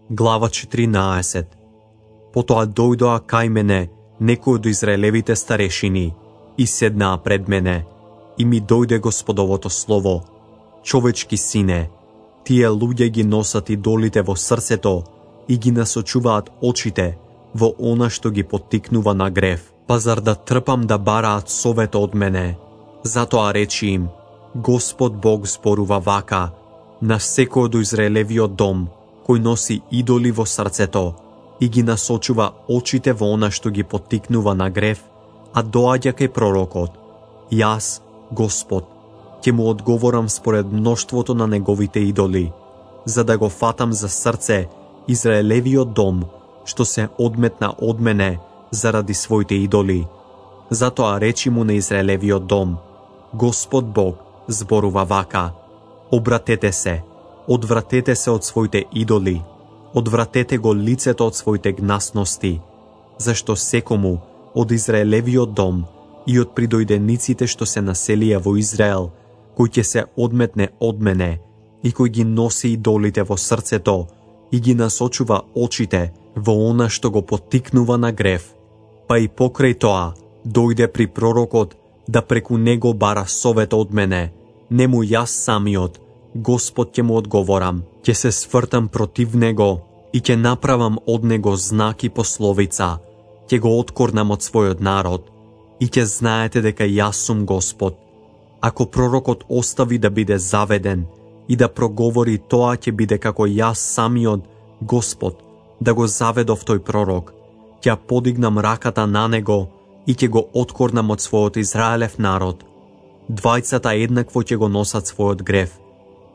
Глава 14. Потоа дојдоа кај мене некои од израелевите старешини и седнаа пред мене, и ми дојде Господовото слово: човечки сине, тие луѓе ги носат идолите во срцето и ги насочуваат очите во она што ги поттикнува на грев. Па зар да трпам да бараат совет од мене? Затоа речи им: Господ Бог зборува вака: на секој од Израелевиот дом кој носи идоли во срцето и ги насочува очите во она што ги поттикнува на грев, а доаѓа кај пророкот, јас, Господ, ќе му одговорам според мноштвото на неговите идоли, за да го фатам за срце Израелевиот дом, што се одметна од мене заради своите идоли. Затоа речи му на Израелевиот дом: Господ Бог зборува вака: обратете се, одвратете се од своите идоли, одвратете го лицето од своите гнасности, зашто секому од Израелевиот дом и од придојдениците што се населија во Израел, кој ќе се одметне од мене и кој ги носи идолите во срцето и ги насочува очите во она што го поттикнува на грев, па и покрај тоа дојде при пророкот да преку него бара совет од мене, нему јас самиот, Господ, ќе му одговорам, ќе се свртам против него и ќе направам од него знак и пословица, ќе го откорнам од својот народ и ќе знаете дека јас сум Господ. Ако пророкот остави да биде заведен и да проговори, тоа ќе биде како јас самиот, Господ, да го заведов тој пророк, ќе подигнам раката на него и ќе го откорнам од својот Израелев народ. Двајцата еднакво ќе го носат својот грев.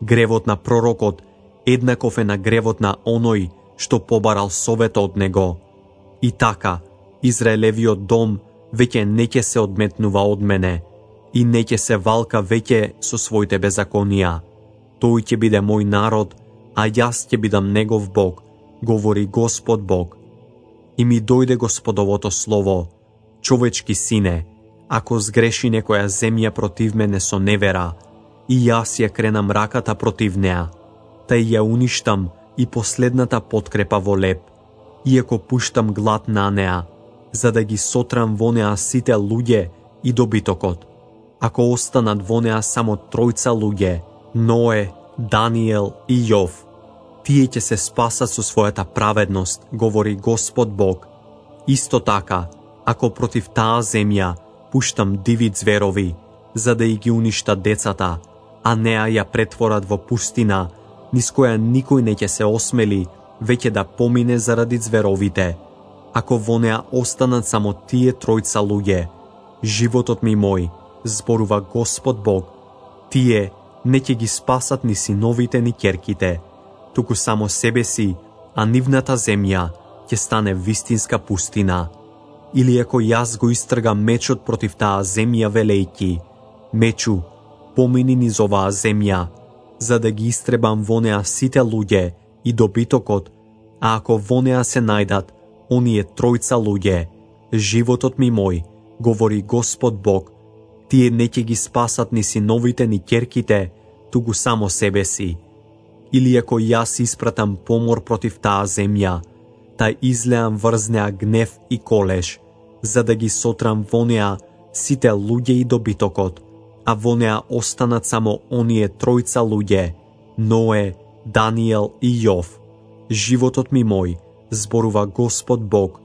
Гревот на пророкот еднаков е на гревот на оној што побарал совет од него. И така, Израелевиот дом веќе не ќе се одметнува од мене и не ќе се валка веќе со своите беззаконија. Тој ќе биде мој народ, а јас ќе бидам негов Бог, говори Господ Бог. И ми дојде Господовото слово: човечки сине, ако сгреши некоја земја против мене со невера, и јас ја кренам раката против неа, тај ја уништам и последната подкрепа во леп, иако пуштам глад на неа, за да ги сотрам во неа сите луѓе и добитокот. Ако останат во неа само тројца луѓе, Ное, Даниел и Јов, тие ќе се спасат со својата праведност, говори Господ Бог. Исто така, ако против таа земја пуштам диви зверови, за да и ги уништа децата, а неа ја претворат во пустина, низ која никој не ќе се осмели веќе да помине заради зверовите. Ако во неа останат само тие тројца луѓе, животот ми мој, зборува Господ Бог, тие не ќе ги спасат ни синовите ни ќерките, туку само себе си, а нивната земја ќе стане вистинска пустина. Или ако јас го истргам мечот против таа земја, велејки: мечу, помини низ оваа земја, за да ги истребам во неа сите луѓе и добитокот, а ако во неа се најдат оние тројца луѓе, животот ми мој, говори Господ Бог, тие не ќе ги спасат ни синовите ни ќерките, туку само себе си. Или ако јас испратам помор против таа земја, та излеам врз неа гнев и колеш, за да ги сотрам во неа сите луѓе и добитокот, а во неа останат само оние тројца луѓе, Ное, Даниел и Јов. Животот ми мој, зборува Господ Бог,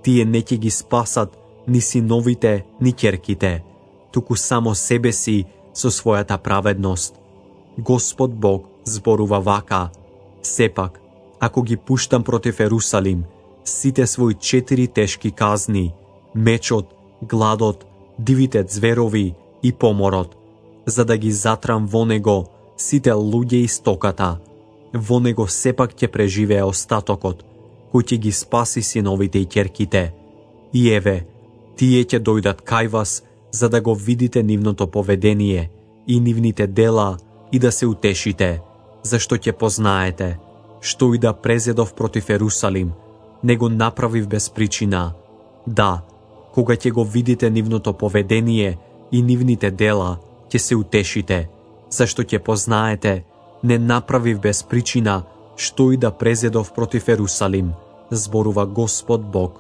тие не ќе ги спасат ни синовите, ни ќерките, туку само себе си со својата праведност. Господ Бог зборува вака: сепак, ако ги пуштам против Ерусалим сите своји 4 тешки казни, мечот, гладот, дивите зверови и поморот, за да ги затрам во него сите луѓе и стоката, во него сепак ќе преживее остатокот, кој ќе ги спаси синовите и ќерките. И еве, тие ќе дојдат кај вас, за да го видите нивното поведение и нивните дела и да се утешите, зашто ќе познаете, што и да презедов против Ерусалим, не го направив без причина. Да, кога ќе го видите нивното поведение и нивните дела, ќе се утешите, зашто ќе познаете, не направив без причина што и да презедов против Ерусалим, зборува Господ Бог,